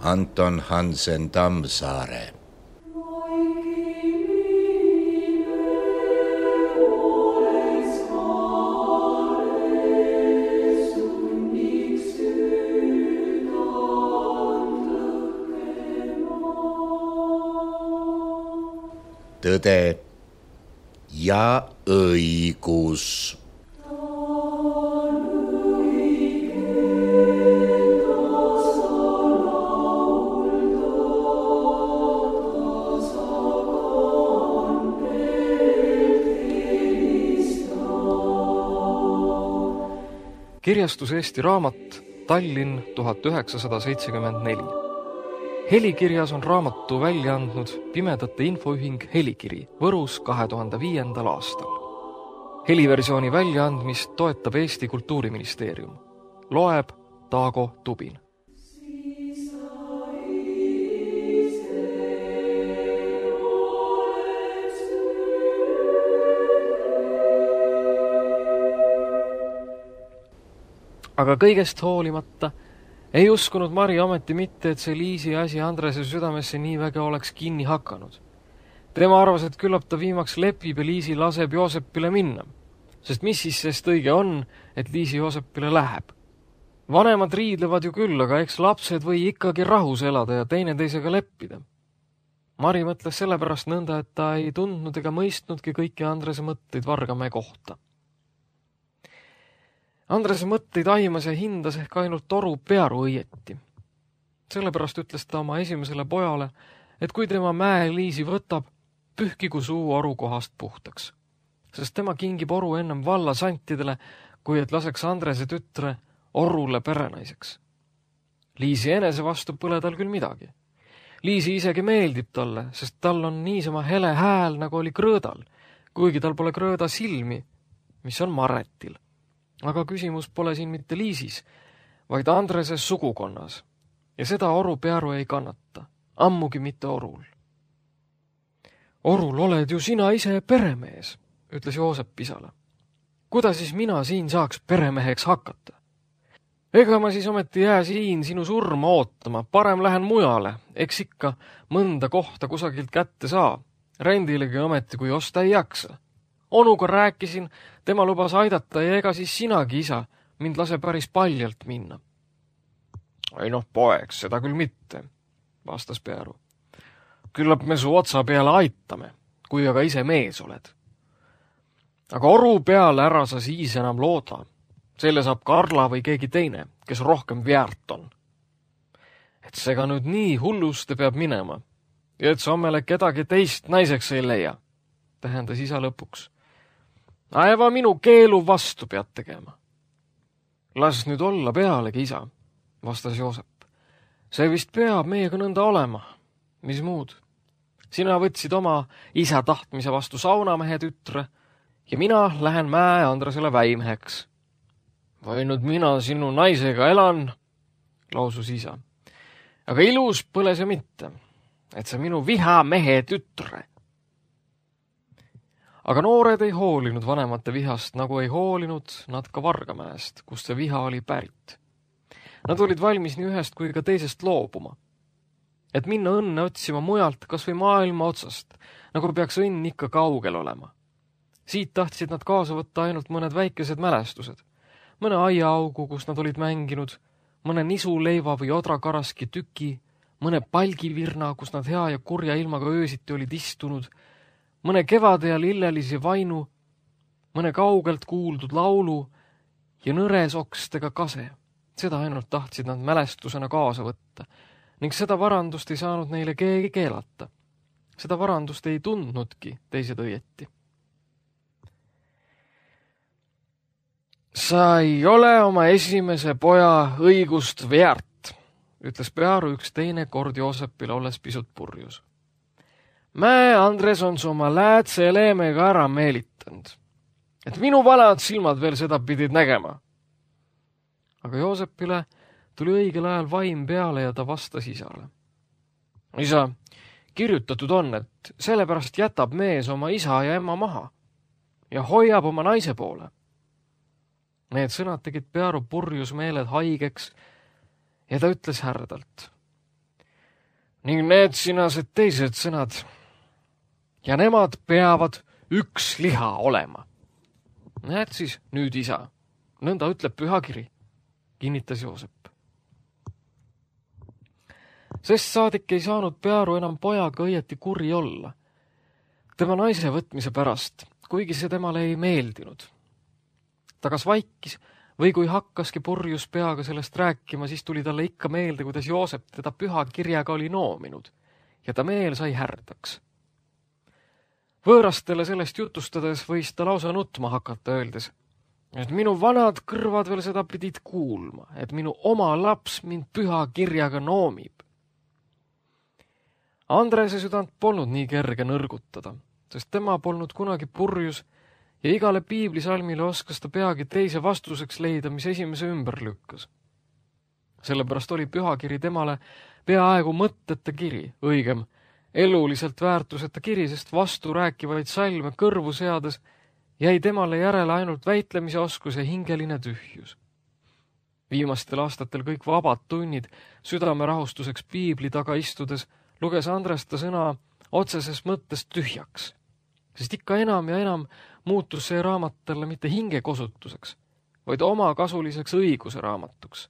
Anton Hansen Tammsaare. Tõde ja õigus. Kirjastus Eesti Raamat, Tallinn 1974. Helikirjas on raamatu välja andnud Pimedate Infoühing Helikiri Võrus 2005. aastal. Heliversiooni väljaandmist toetab Eesti Kultuuriministeerium. Loeb Taago Tubin. Aga kõigest hoolimata ei uskunud Mari ometi mitte, et see Liisi asi Andrese südamesse nii väga oleks kinni hakanud. Tema arvas, et küllap ta viimaks lepib ja Liisi laseb Joosepile minna, sest mis siis sest õige on, et Liisi Joosepile läheb. Vanemad riidlevad ju küll, aga eks lapsed või ikkagi rahus elada ja teineteisega leppida. Mari mõtles sellepärast nõnda, et ta ei tundnud ega mõistnudki kõiki Andrese mõtteid Vargamäe kohta. Andrese mõtteid aimas ja hindas ehk ainult Oru Pearu õieti. Sellepärast ütles ta oma esimesele pojale, et kui tema mäe Liisi võtab, pühkigu suu Oru kohast puhtaks. Sest tema kingib Oru ennem valla santidele, kui et laseks Andrese tütre Orule perenaiseks. Liisi enese vastu pole tal küll midagi. Liisi isegi meeldib talle, sest tal on niisama hele hääl, nagu oli Krõõdal, kuigi tal pole Krõõda silmi, mis on Maretil. Aga küsimus pole siin mitte Liisis, vaid Andreses sugukonnas. Ja seda Oru Pearu ei kannata, ammugi mitte Orul. Orul oled ju sina ise peremees, ütles Joosep isale. Kuda siis mina siin saaks peremeheks hakata? Ega ma siis ometi jää siin sinu surma ootama, parem lähen mujale, eks ikka mõnda kohta kusagilt kätte saa. Rendilegi ometi, kui osta ei jaksa. Onuga rääkisin, tema lubas aidata ja ega siis sinagi, isa, mind lase päris paljalt minna. Ei noh, poeg, seda küll mitte, vastas Pearu. Küllap me su otsa peale aitame, kui aga ise mees oled. Aga Oru peale ära sa siis enam looda. Selle saab Karla või keegi teine, kes rohkem väärt on. Et sega nüüd nii hulluste peab minema ja et sa omele kedagi teist naiseks ei leia, tähendas isa lõpuks. Aeva minu keelu vastu pead tegema. Las nüüd olla pealegi, isa, vastas Joosep. See vist peab meiega nõnda olema. Mis muud? Sina võtsid oma isa tahtmise vastu saunamehe tütre ja mina lähen mäe Andresele väimeheks. Või nüüd mina sinu naisega elan, lausus isa. Aga ilus põle see mitte, et see minu viha mehe tütre. Aga noored ei hoolinud vanemate vihast, nagu ei hoolinud nad ka Vargamäest, kust see viha oli pärit. Nad olid valmis nii ühest kui ka teisest loobuma. Et minna õnne otsima mujalt, kas või maailma otsast, nagu peaks õnn ikka kaugel olema. Siit tahtsid nad kaasa võtta ainult mõned väikesed mälestused. Mõne aiaaugu, kus nad olid mänginud, mõne nisuleiva või odrakaraski tüki, mõne palgivirna, kus nad hea ja kurja ilmaga öösiti olid istunud, mõne kevade ja lillelisi vainu, mõne kaugelt kuuldud laulu ja nõres okstega kase. Seda ainult tahtsid nad mälestusena kaasa võtta ning seda varandust ei saanud neile keegi keelata. Seda varandust ei tundnudki teised õieti. Sa ei ole oma esimese poja õigust väärt, ütles Pearu üks teine kord Joosepile, olles pisut purjus. Mäe Andres on su oma läätse leemega ära meelitanud, et minu vanad silmad veel seda pidid nägema. Aga Joosepile tuli õigel ajal vaim peale ja ta vastas isale. Isa, kirjutatud on, et sellepärast jätab mees oma isa ja ema maha ja hoiab oma naise poole. Need sõnad tegid Pearu purjus meeled haigeks ja ta ütles härdalt. ning need sinased teised sõnad. Ja nemad peavad üks liha olema. Näed siis nüüd, isa, nõnda ütleb pühakiri, kinnitas Joosep. Sest saadik ei saanud Pearu enam pojaga õieti kuri olla. Tema naise võtmise pärast, kuigi see temale ei meeldinud. Ta kas vaikis või kui hakkaski purjus peaga sellest rääkima, siis tuli talle ikka meelde, kuidas Joosep teda püha kirjaga oli noominud ja ta meel sai härdaks. Võõrastele sellest jutustades võis ta lausa nutma hakata, öeldes, et minu vanad kõrvad veel seda pidid kuulma, et minu oma laps mind püha kirjaga noomib. Andrese südant polnud nii kerge nõrgutada, sest tema polnud kunagi purjus ja igale piiblisalmile oskas ta peagi teise vastuseks leida, mis esimese ümber lükkas. Sellepärast oli pühakiri temale peaaegu mõtteta kiri, õigem, eluliselt väärtuseta kiri, sest vastu rääkivaid salme kõrvu seades jäi temale järele ainult väitlemise oskus ja hingeline tühjus. Viimastel aastatel kõik vabad tunnid südame rahustuseks piibli taga istudes luges Andres ta sõna otseses mõttes tühjaks, sest ikka enam ja enam muutus see raamat talle mitte hingekosutuseks, vaid omakasuliseks õiguse raamatuks.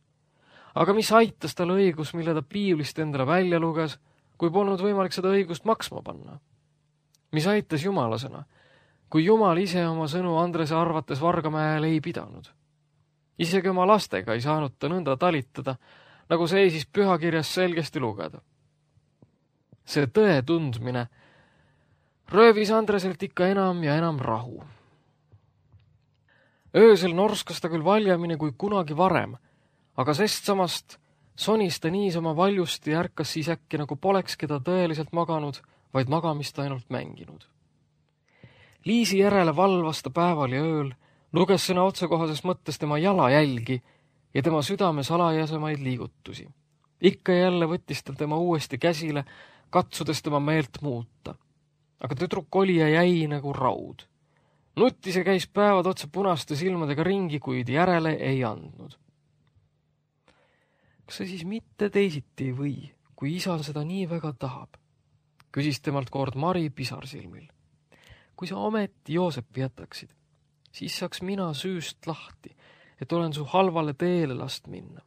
Aga mis aitas talle õigus, mille ta piiblist endale välja luges, kui polnud võimalik seda õigust maksma panna? Mis aitas Jumala sõna, kui Jumal ise oma sõnu Andrese arvates Vargamäel ei pidanud? Isegi oma lastega ei saanud ta nõnda talitada, nagu seisis pühakirjas selgesti lugeda. See tõe tundmine röövis Andreselt ikka enam ja enam rahu. Öösel norskas ta küll valjamini kui kunagi varem, aga sest samast sonis ta niisama valjusti ja ärkas siis äkki nagu polekski ta tõeliselt maganud, vaid magamist ainult mänginud. Liisi järele valvas ta päeval ja ööl, luges sõna otsekohases mõttes tema jalajälgi ja tema südame salajasemaid liigutusi. Ikka jälle võttis ta tema uuesti käsile, katsudes tema meelt muuta. Aga tüdruk oli ja jäi nagu raud. Nuttis ja käis päevad otsa punaste silmadega ringi, kuid järele ei andnud. Kas see siis mitte teisiti ei või, kui isa seda nii väga tahab? Küsis temalt kord Mari pisarsilmil. Kui sa ometi Joosepi jätaksid, siis saaks mina süüst lahti, et olen su halvale teele last minna.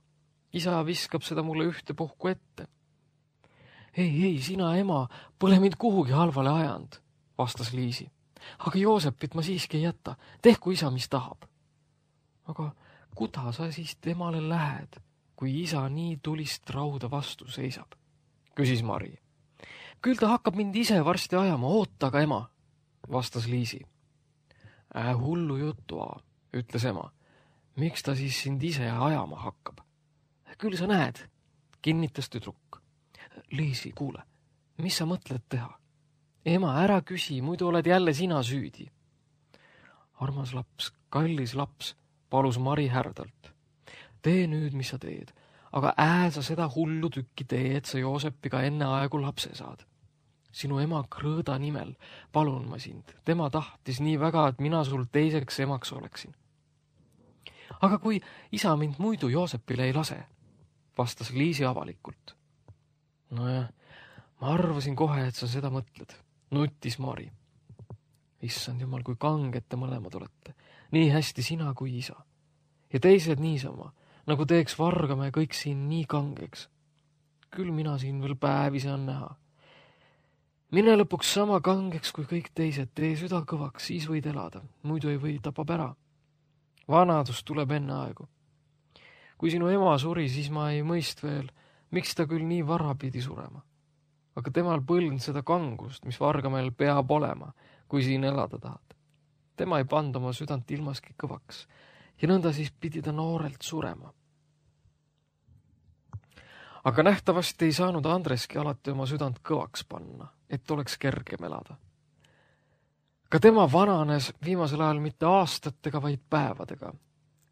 Isa viskab seda mulle ühte puhku ette. Ei, sina ema, pole mind kuhugi halvale ajanud, vastas Liisi. Aga Joosepit ma siiski ei jäta, tehku isa, mis tahab. Aga kuda sa siis temale lähed, kui isa nii tulist rauda vastu seisab? Küsis Mari. Küll ta hakkab mind ise varsti ajama, oota aga ema, vastas Liisi. Hullu juttu, ütles ema. Miks ta siis sind ise ajama hakkab? Küll sa näed, kinnitas tüdruk. Liisi, kuule, mis sa mõtled teha? Ema, ära küsi, muidu oled jälle sina süüdi. Armas laps, kallis laps, palus Mari härdalt. Tee nüüd, mis sa teed, aga sa seda hullu tükki tee, et sa Joosepiga enne aegu lapse saad. Sinu ema Krõõda nimel, palun ma sind. Tema tahtis nii väga, et mina sul teiseks emaks oleksin. Aga kui isa mind muidu Joosepile ei lase, vastas Liisi avalikult. Nojah, ma arvasin kohe, et sa seda mõtled, nutis Mari. Issand jumal, kui kanged te mõlemad olete, nii hästi sina kui isa. Ja teised niisama, nagu teeks Vargamäe kõik siin nii kangeks. Küll mina siin veel päevi saan näha. Mine lõpuks sama kangeks kui kõik teised, tee süda kõvaks, siis võid elada, muidu ei või, tapab ära. Vanadus tuleb enne aegu. Kui sinu ema suri, siis ma ei mõist veel, miks ta küll nii vara pidi surema. Aga temal põlnud seda kangust, mis Vargamäel peab olema, kui siin elada tahad. Tema ei pannud oma südant ilmaski kõvaks ja nõnda siis pidi ta noorelt surema. Aga nähtavasti ei saanud Andreski alati oma südant kõvaks panna, et oleks kergem elada. Ka tema vananes viimasel ajal mitte aastatega, vaid päevadega,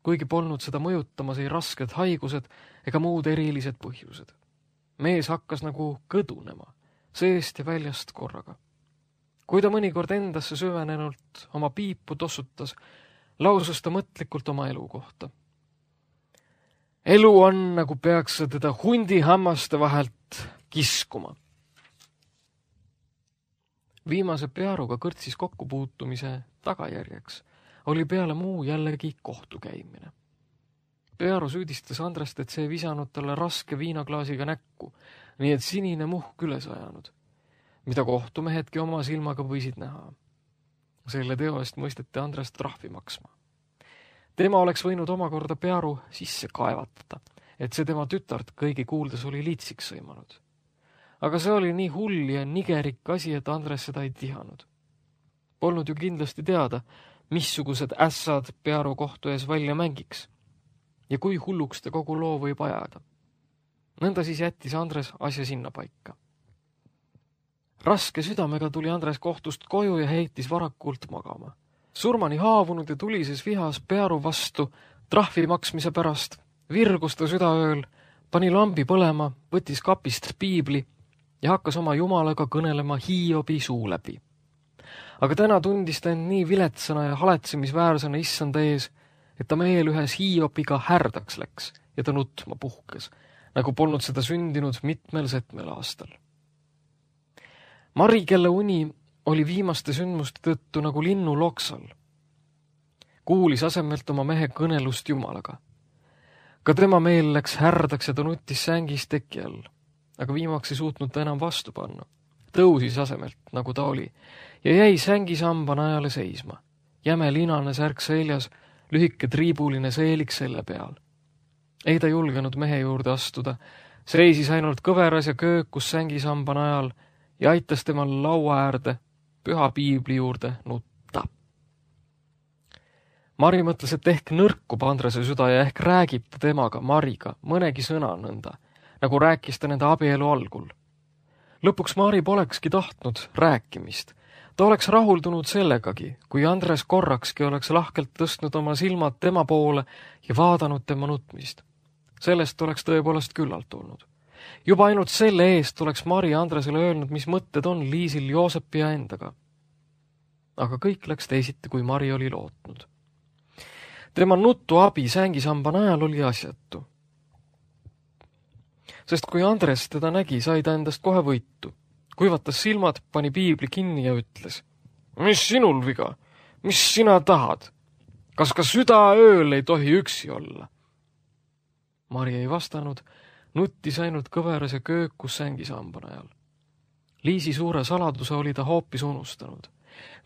kuigi polnud seda mõjutamas ei rasked haigused ega muud erilised põhjused. Mees hakkas nagu kõdunema, seest ja väljast korraga. Kui ta mõnikord endasse süvenenult oma piipu tossutas, lausus ta mõtlikult oma elu kohta. Elu on, nagu peaks teda hundi hammaste vahelt kiskuma. Viimase Pearuga kõrtsis kokkupuutumise tagajärjeks oli peale muu jällegi kohtukäimine. Pearu süüdistas Andrest, et see visanud talle raske viinaklaasiga näkku, nii et sinine muhk üles ajanud, mida kohtumehedki oma silmaga võisid näha. Selle teo eest mõisteti Andrest trahvi maksma. Tema oleks võinud omakorda Pearu sisse kaevatada, et see tema tütart kõigi kuuldes oli liitsiks sõimanud. Aga see oli nii hull ja nigerik asi, et Andres seda ei tihanud. Polnud ju kindlasti teada, missugused ässad Pearu kohtu ees välja mängiks ja kui hulluks ta kogu loo võib ajada. Nõnda siis jättis Andres asja sinna paika. Raske südamega tuli Andres kohtust koju ja heitis varakult magama. Surmani haavunud ja tulises vihas Pearu vastu trahvi maksmise pärast virgus ta südaööl, pani lambi põlema, võttis kapist piibli ja hakkas oma jumalaga kõnelema Hiobi suu läbi. Aga täna tundis ta end nii viletsana ja haletsemisväärsena issanda ees, et ta meel ühes Hiobiga härdaks läks ja ta nutma puhkes, nagu polnud seda sündinud mitmel setmel aastal. Mari, kelle uni oli viimaste sündmuste tõttu nagu linnu loksal, kuulis asemelt oma mehe kõnelust jumalaga. Ka tema meel läks härdaks ja ta nuttis sängis teki all, aga viimaks ei suutnud ta enam vastu panna. Tõusis asemelt, nagu ta oli, ja jäi sängisamba najale seisma. Jäme linane särk seljas, lühike triibuline seelik selle peal. Ei ta julgenud mehe juurde astuda, seisis ainult kõveras ja köökus sängisamba najal ja aitas temal laua äärde, püha piibli juurde nutta. Mari mõtles, et ehk nõrkub Andrese süda ja ehk räägib ta temaga, Mariga, mõnegi sõna nõnda, nagu rääkis ta nende abielu algul. Lõpuks Mari polekski tahtnud rääkimist. Ta oleks rahuldunud sellegagi, kui Andres korrakski oleks lahkelt tõstnud oma silmad tema poole ja vaadanud tema nutmist. Sellest oleks tõepoolest küllalt olnud. Juba ainult selle eest oleks Mari Andresele öelnud, mis mõtted on Liisil Joosepi ja endaga. Aga kõik läks teisiti, kui Mari oli lootnud. Tema nutu abi sängisamba najal oli asjatu. Sest kui Andres teda nägi, sai ta endast kohe võitu. Kuivatas silmad, pani piibli kinni ja ütles: "Mis sinul viga? Mis sina tahad? Kas ka südaööl ei tohi üksi olla?" Mari ei vastanud, nuttis ainult kõveras ja köökus sängisamba najal. Liisi suure saladuse oli ta hoopis unustanud.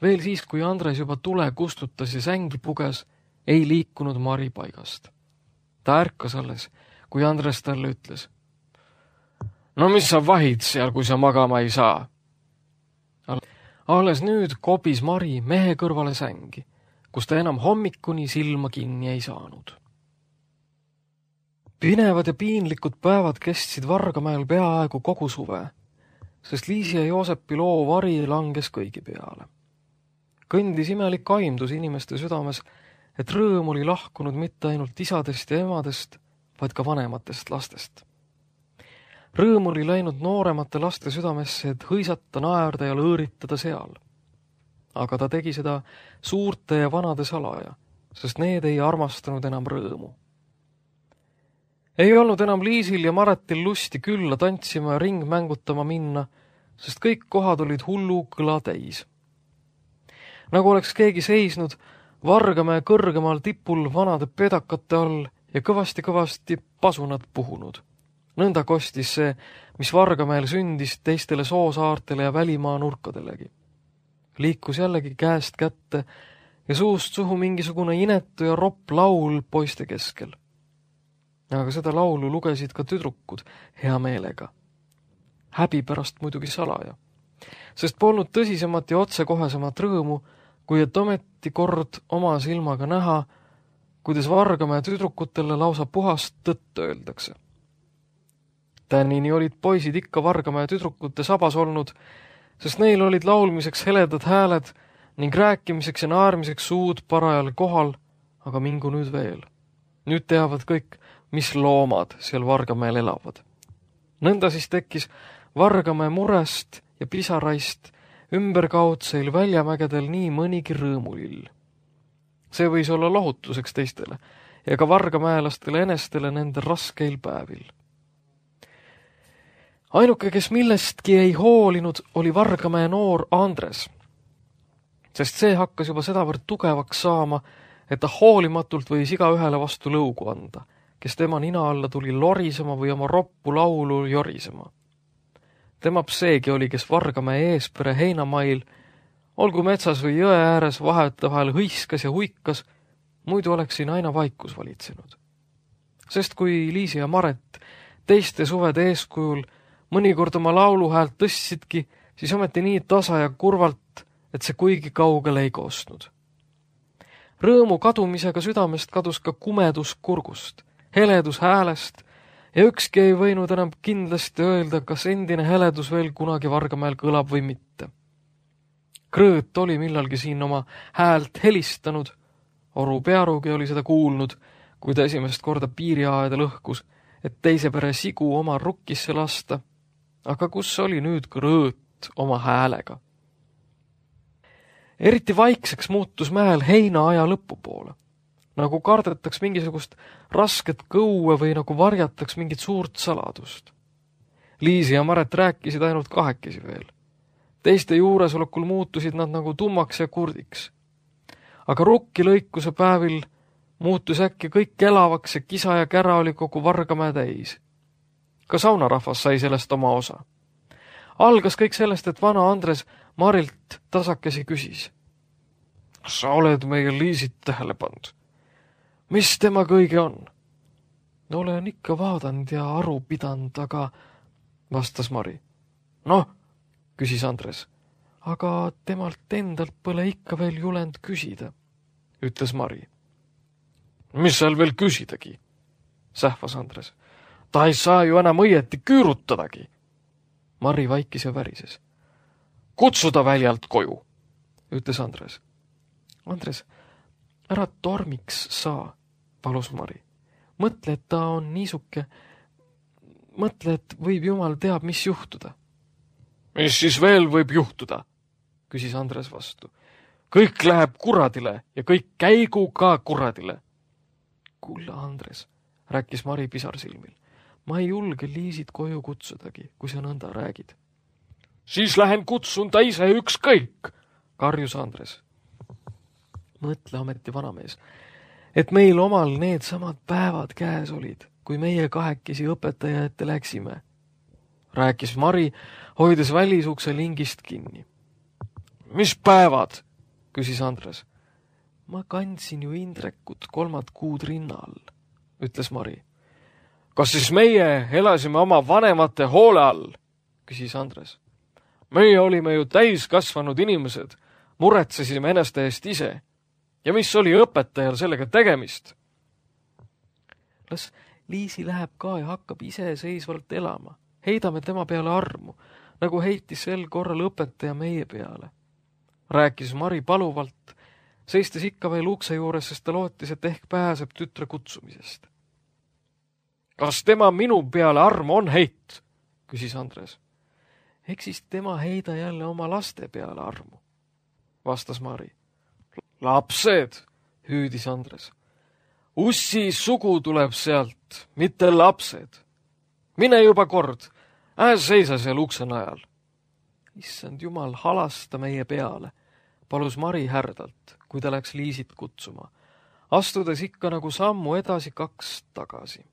Veel siis, kui Andres juba tule kustutas ja sängi puges, ei liikunud Mari paigast. Ta ärkas alles, kui Andres talle ütles: "No mis sa vahid seal, kui sa magama ei saa?" Alles nüüd kobis Mari mehe kõrvale sängi, kus ta enam hommikuni silma kinni ei saanud. Pinevad ja piinlikud päevad kestsid Vargamäel peaaegu kogu suve, sest Liisi ja Joosepi loo vari langes kõigi peale. Kõndis imelik aimdus inimeste südames, et rõõm oli lahkunud mitte ainult isadest ja emadest, vaid ka vanematest lastest. Rõõm oli läinud nooremate laste südamesse, et hõisata, naerda ja lõõritada seal. Aga ta tegi seda suurte ja vanade salaja, sest need ei armastanud enam rõõmu. Ei olnud enam Liisil ja Maretil lusti külla tantsima ja ringmängutama minna, sest kõik kohad olid hullu kõla täis. Nagu oleks keegi seisnud Vargamäe kõrgemal tipul vanade pedakate all ja kõvasti-kõvasti pasunad puhunud. Nõnda kostis see, mis Vargamäel sündis teistele soosaartele ja välimaa nurkadelegi. Liikus jällegi käest kätte ja suust suhu mingisugune inetu ja ropp laul poiste keskel. Aga seda laulu lugesid ka tüdrukud hea meelega. Häbi pärast muidugi salaja, sest polnud tõsisemat ja otsekohesemat rõõmu, kui et ometi kord oma silmaga näha, kuidas Vargamäe tüdrukutele lausa puhast tõtt öeldakse. Tänini olid poisid ikka Vargamäe tüdrukute sabas olnud, sest neil olid laulmiseks heledad hääled ning rääkimiseks ja naermiseks suud parajal kohal, aga mingu nüüd veel. Nüüd teavad kõik, mis loomad seal Vargamäel elavad. Nõnda siis tekkis Vargamäe murest ja pisaraist ümberkaudseil väljamägedel nii mõnigi rõõmulill. See võis olla lohutuseks teistele ja ka vargamäelastele enestele nende raskeil päevil. Ainuke, kes millestki ei hoolinud, oli Vargamäe noor Andres, sest see hakkas juba sedavõrd tugevaks saama, et ta hoolimatult võis igaühele vastu lõugu anda, kes tema nina alla tuli lorisema või oma roppu laulu jorisema. Temap seegi oli, kes Vargamäe eespere heinamail, olgu metsas või jõe ääres, vahetevahel hõiskas ja huikas, muidu oleks siin aina vaikus valitsenud. Sest kui Liisi ja Maret teiste suvede eeskujul mõnikord oma lauluhäält tõstsidki, siis ometi nii tasa ja kurvalt, et see kuigi kaugele ei koostnud. Rõõmu kadumisega südamest kadus ka kumedus kurgust, heledus häälest ja ükski ei võinud enam kindlasti öelda, kas endine heledus veel kunagi Vargamäel kõlab või mitte. Krõõt oli millalgi siin oma häält helistanud, Oru Pearugi oli seda kuulnud, kui ta esimest korda piiriaeda lõhkus, et teise pere sigu oma rukkisse lasta, aga kus oli nüüd Krõõt oma häälega? Eriti vaikseks muutus mäel heinaaja lõpupoole, nagu kardetaks mingisugust rasket kõue või nagu varjataks mingit suurt saladust. Liisi ja Maret rääkisid ainult kahekesi veel. Teiste juuresolekul muutusid nad nagu tummaks ja kurdiks. Aga rukkilõikuse päevil muutus äkki kõik elavaks ja kisa ja kära oli kogu Vargamäe täis. Ka saunarahvas sai sellest oma osa. Algas kõik sellest, et vana Andres Marilt tasakesi küsis. Sa oled meie Liisit tähele pannud? Mis tema kõige on? Olen ikka vaadanud ja aru pidanud, aga vastas Mari. Noh, küsis Andres, aga temalt endalt pole ikka veel julend küsida, ütles Mari. Mis seal veel küsidagi? Sähvas Andres. Ta ei saa ju enam õieti küürutadagi. Mari vaikis ja värises. Kutsuda väljalt koju, ütles Andres. Andres, ära tormiks saa, palus Mari. Mõtle, et ta on niisuke. Mõtle, et võib jumal teab, mis juhtuda. Mis siis veel võib juhtuda, küsis Andres vastu. Kõik läheb kuradile ja kõik käigu ka kuradile. Kulla, Andres, rääkis Mari pisarsilmil. Ma ei julge Liisit koju kutsudagi, kui sa nõnda räägid. Siis lähen kutsun ta ise ükskõik, karjus Andres. Mõtle ometi, vanamees, et meil omal need samad päevad käes olid, kui meie kahekesi õpetaja ette läksime. Rääkis Mari, hoides välisukse lingist kinni. Mis päevad, küsis Andres. Ma kandsin ju Indrekut 3 kuud rinna all, ütles Mari. Kas siis meie elasime oma vanemate hoole all, küsis Andres. Meie olime ju täiskasvanud inimesed, muretsesime enneste eest ise. Ja mis oli õpetajal sellega tegemist? Las Liisi läheb ka ja hakkab iseseisvalt elama. Heidame tema peale armu, nagu heitis sel korral õpetaja meie peale. Rääkis Mari paluvalt, seistes ikka veel ukse juures, sest ta lootis, et ehk pääseb tütre kutsumisest. Kas tema minu peale armu on heit, küsis Andres. Eks siis tema heida jälle oma laste peale armu, vastas Mari. Lapsed, hüüdis Andres. Ussi sugu tuleb sealt, mitte lapsed. Mine juba kord, seisa seal ukse najal. Issand jumal, halasta meie peale, palus Mari härdalt, kui ta läks Liisit kutsuma, astudes ikka nagu sammu edasi 2 tagasi.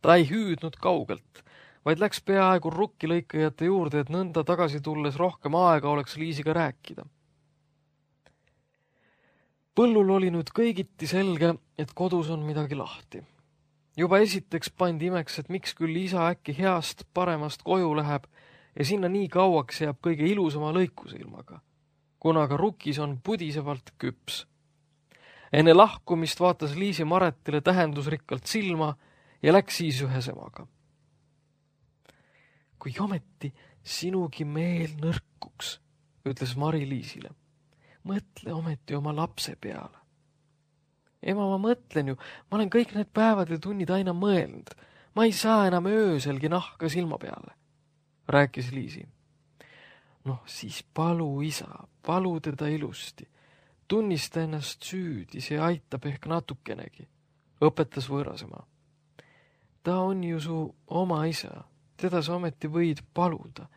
Ta ei hüüdnud kaugelt, vaid läks peaaegu rukkilõikajate juurde, et nõnda tagasi tulles rohkem aega oleks Liisiga rääkida. Põllul oli nüüd kõigiti selge, et kodus on midagi lahti. Juba esiteks pandi imeks, et miks küll isa äkki heast paremast koju läheb ja sinna nii kauaks jääb kõige ilusama lõikusilmaga, kuna ka rukis on pudisevalt küps. Enne lahkumist vaatas Liisi Maretile tähendusrikkalt silma ja läks siis ühe semaga. Kui ometi sinugi meel nõrkuks, ütles Mari Liisile. Mõtle ometi oma lapse peale. Ema, ma mõtlen ju, ma olen kõik need päevad ja tunnid aina mõelnud. Ma ei saa enam ööselgi nahka silma peale, rääkis Liisi. Noh, siis palu isa, palu teda ilusti. Tunnista ennast süüdi, see aitab ehk natukenegi, õpetas võõrasema. Ta on ju su oma isa, teda sa ometi võid paluda?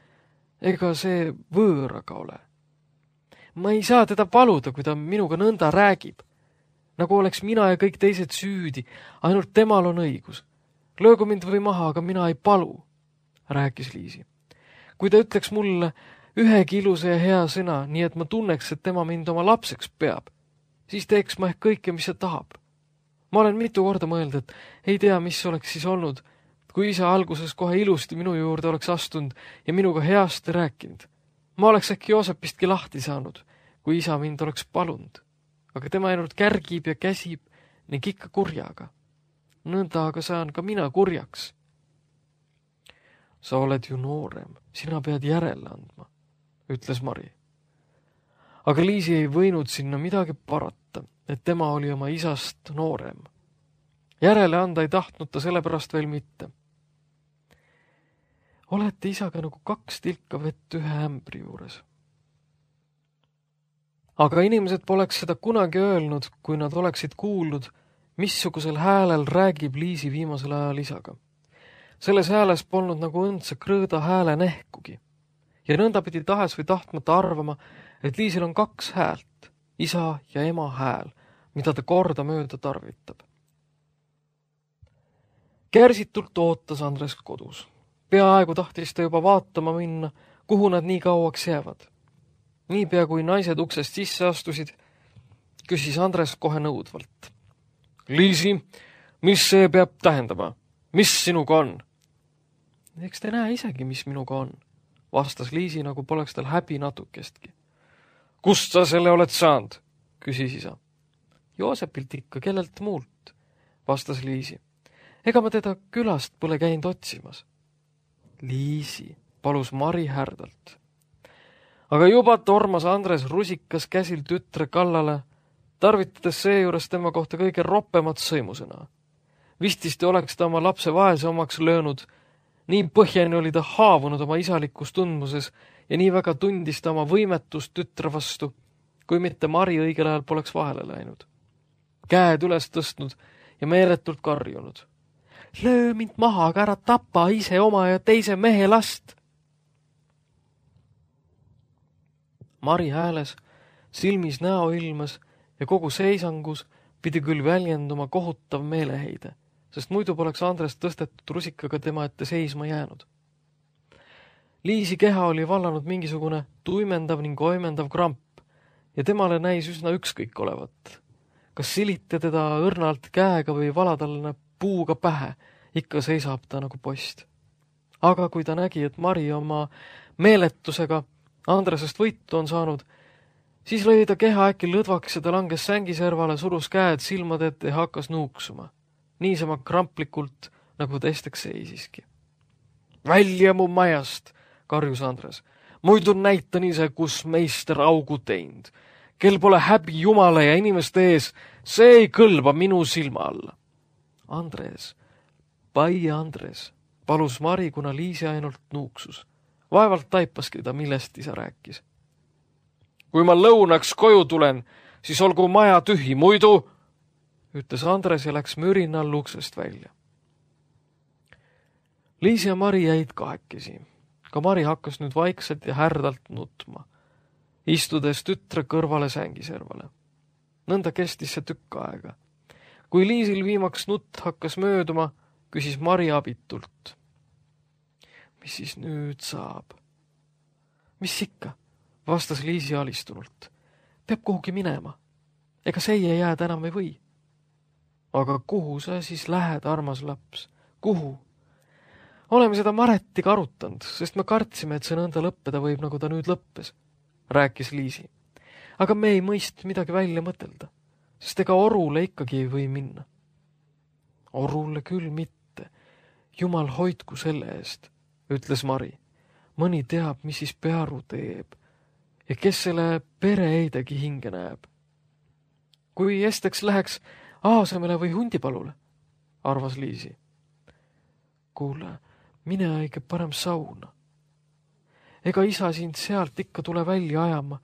Ega see võõraga ole. Ma ei saa teda paluda, kui ta minuga nõnda räägib. Nagu oleks mina ja kõik teised süüdi, ainult temal on õigus. Löögu mind või maha, aga mina ei palu, rääkis Liisi. Kui ta ütleks mulle ühegi ilusa ja hea sõna, nii et ma tunneks, et tema mind oma lapseks peab, siis teeks ma ehk kõike, mis ta tahab. Ma olen mitu korda mõelnud, et ei tea, mis oleks siis olnud, kui isa alguses kohe ilusti minu juurde oleks astunud ja minuga heasti rääkinud. Ma oleks äkki Joosepistki lahti saanud, kui isa mind oleks palunud. Aga tema ainult kärgib ja käsib ning ikka kurjaga. Nõnda aga saan ka mina kurjaks. Sa oled ju noorem, sina pead järele andma, ütles Mari. Aga Liisi ei võinud sinna midagi parata, et tema oli oma isast noorem. Järele anda ei tahtnud ta sellepärast veel mitte. Olete isaga nagu 2 tilka vett ühe ämbri juures. Aga inimesed poleks seda kunagi öelnud, kui nad oleksid kuulnud, missugusel häälel räägib Liisi viimasel ajal isaga. Selles hääles polnud nagu õndse krõõda hääle nehkugi. Ja nõnda pidi tahes või tahtmata arvama, et Liisil on 2 häält, isa ja ema hääl, mida ta kordamööda tarvitab. Kärsitult ootas Andres kodus. Peaaegu tahtis ta juba vaatama minna, kuhu nad nii kauaks jäävad. Niipea kui naised uksest sisse astusid, küsis Andres kohe nõudvalt. Liisi, mis see peab tähendama? Mis sinuga on? Eks te näe isegi, mis minuga on, vastas Liisi, nagu poleks tal häbi natukestki. Kust sa selle oled saanud? Küsis isa. Joosepilt ikka, kellelt muult, vastas Liisi. Ega ma teda külast pole käinud otsimas. Liisi, palus Mari härdalt. Aga juba tormas Andres rusikas käsil tütre kallale, tarvitades seejuures tema kohta kõige roppemat sõimusõna. Vististi oleks ta oma lapse vaese omaks löönud, nii põhjani oli ta haavunud oma isalikus tundmuses ja nii väga tundis ta oma võimetust tütre vastu, kui mitte Mari õigel ajal poleks vahele läinud. Käed üles tõstnud ja meeletult karjunud. Löö mind maha, aga ära tapa ise oma ja teise mehe last. Mari hääles, silmis näoilmes ja kogu seisangus pidi küll väljenduma kohutav meeleheide, sest muidu poleks Andres tõstetud rusikaga tema ette seisma jäänud. Liisi keha oli vallanud mingisugune tuimendav ning oimendav kramp ja temale näis üsna ükskõik olevat. Kas silite teda õrnalt käega või valadalle puuga pähe, ikka seisab ta nagu post. Aga kui ta nägi, et Mari oma meeletusega Andresest võitu on saanud, siis lõi ta keha äkki lõdvaks ja ta langes sängiservale, surus käed silmade ette ja hakkas nuuksuma. Niisama kramplikult, nagu ta esteks seisiski. Välja mu majast, karjus Andres. Muidu näitan ise, kus meister augu teinud. Kel pole häbi Jumala ja inimeste ees, see ei kõlba minu silma alla. Andres, pai Andres, palus Mari, kuna Liisi ainult nuuksus. Vaevalt taipaski ta, millest isa rääkis. Kui ma lõunaks koju tulen, siis olgu maja tühi, muidu, ütles Andres ja läks mürinal uksest välja. Liisi ja Mari jäid kahekesi. Ka Mari hakkas nüüd vaikselt ja härdalt nutma, istudes tütre kõrvale sängiservale. Nõnda kestis see tükk aega. Kui Liisil viimaks nutt hakkas mööduma, küsis Mari abitult. Mis siis nüüd saab? Mis ikka, vastas Liisi alistunult. Peab kuhugi minema. Ega seie jääd enam ei või. Aga kuhu sa siis lähed, armas laps? Kuhu? Oleme seda Maretiga arutanud, sest me kartsime, et see nõnda lõppeda võib, nagu ta nüüd lõppes, rääkis Liisi. Aga me ei mõist midagi välja mõtelda, sest ega orule ikkagi ei või minna. Orule küll mitte. Jumal hoidku selle eest, ütles Mari. Mõni teab, mis siis Pearu teeb ja kes selle pereeidegi hinge näeb. Kui esteks läheks aasemele või hundipalule, arvas Liisi. Kuule, mine õige parem sauna. Ega isa sind sealt ikka tule välja ajama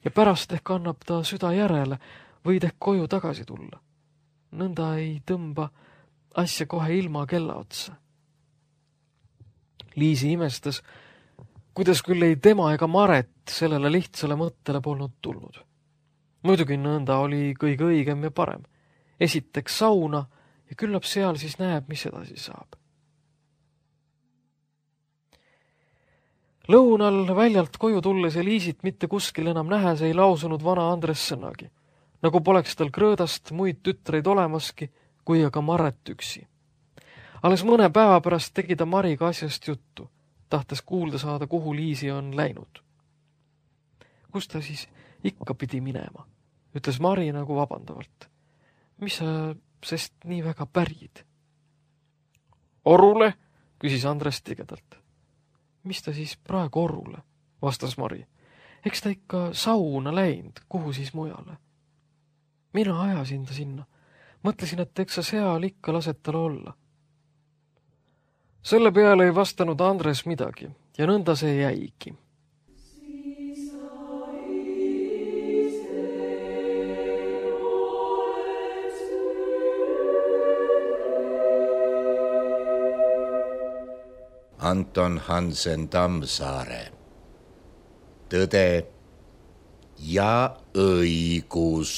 ja pärast ehk annab ta süda järele, võid ehk koju tagasi tulla. Nõnda ei tõmba asja kohe ilma kella otsa. Liisi imestas, kuidas küll ei tema ega Maret sellele lihtsale mõttele polnud tulnud. Muidugi nõnda oli kõige õigem ja parem. Esiteks sauna ja küllap seal siis näeb, mis edasi saab. Lõunal väljalt koju tulles ja Liisit mitte kuskil enam nähes ei lausunud vana Andres sõnagi, nagu poleks tal Krõõdast muid tütreid olemaski, kui aga Maret üksi. Alles mõne päeva pärast tegi ta Mariga asjast juttu, tahtes kuulda saada, kuhu Liisi on läinud. Kus ta siis ikka pidi minema, ütles Mari nagu vabandavalt. Mis sa sest nii väga pärid? Orule, küsis Andres tigedalt. Mis ta siis praegu orule, vastas Mari. Eks ta ikka sauna läinud, kuhu siis mujale? Mina ajasin ta sinna. Mõtlesin, et eks sa seal ikka lased tal olla. Selle peale ei vastanud Andres midagi ja nõnda see jäigi. Anton Hansen Tammsaare. Tõde ja õigus.